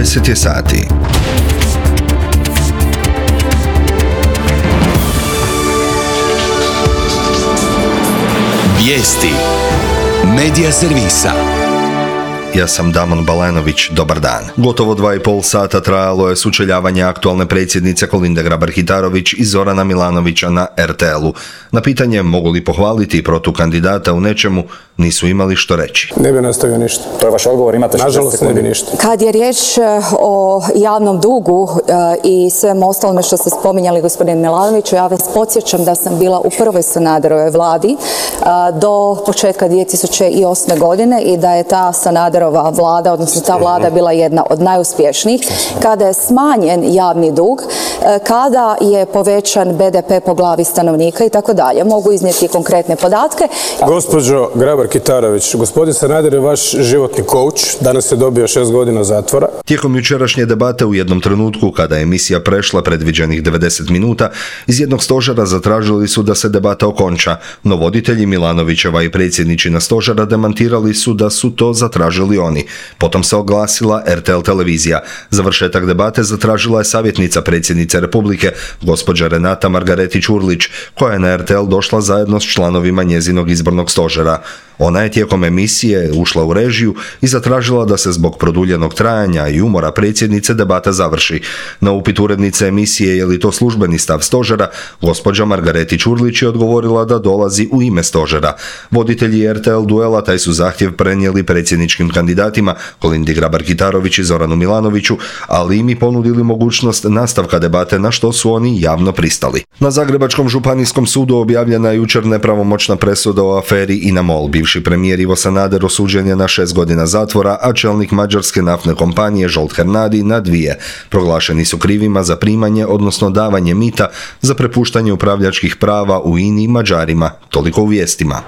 10 je sati. Vijesti Medija servisa. Ja sam Damon Balenović, dobar dan. Gotovo 2,5 sata trajalo je sučeljavanje aktualne predsjednice Kolinde Grabar-Kitarović i Zorana Milanovića na RTL-u. Na pitanje mogu li pohvaliti protukandidata u nečemu, nisu imali što reći. Ne bi nastavio ništa. To je vaš odgovor, imate 60 sekundi. Nažalost ne bi ništa. Kad je riječ o javnom dugu i svemu ostalome što ste spominjali, gospodin Milanoviću, ja vas podsjećam da sam bila u prvoj Sanaderovoj vladi do početka 2008. godine i da je ta Sanaderova vlada, odnosno ta vlada bila jedna od najuspješnijih, kada je smanjen javni dug, kada je povećan BDP po glavi stanovnika i tako dalje. Mogu iznijeti konkretne podatke. Gospođo Grabar-Kitarović, gospodin Sanader je vaš životni coach, danas je dobio 6 godina zatvora. Tijekom jučerašnje debate u jednom trenutku, kada je emisija prešla predviđenih 90 minuta, iz jednog stožera zatražili su da se debata okonča, no voditelji Milanovićeva i predsjedničina stožera demantirali su da su to zatražili oni. Potom se oglasila RTL televizija. Završetak debate zatražila je savjetnica predsjednice Republike, gospođa Renata Margaretić-Urlić, koja je na RTL došla zajedno s članovima njezinog izbornog stožera. Ona je tijekom emisije ušla u režiju i zatražila da se zbog produljenog trajanja i umora predsjednice debata završi. Na upit urednice emisije je li to službeni stav stožera, gospođa Margaretić-Urlić je odgovorila da dolazi u ime stožera. Voditelji RTL duela taj su zahtjev prenijeli predsjedničkim kandidatima Kolindi Grabar-Kitarović i Zoranu Milanoviću, ali im i ponudili mogućnost nastavka debate, na što su oni javno pristali. Na Zagrebačkom županijskom sudu objavljena je jučer nepravomoćna presuda o aferi INA-MOL. Bivši premijer Ivo Sanader osuđen je na 6 godina zatvora, a čelnik mađarske naftne kompanije Zsolt Hernadi na 2. Proglašeni su krivima za primanje, odnosno davanje mita za prepuštanje upravljačkih prava u INI Mađarima. Toliko u vijestima.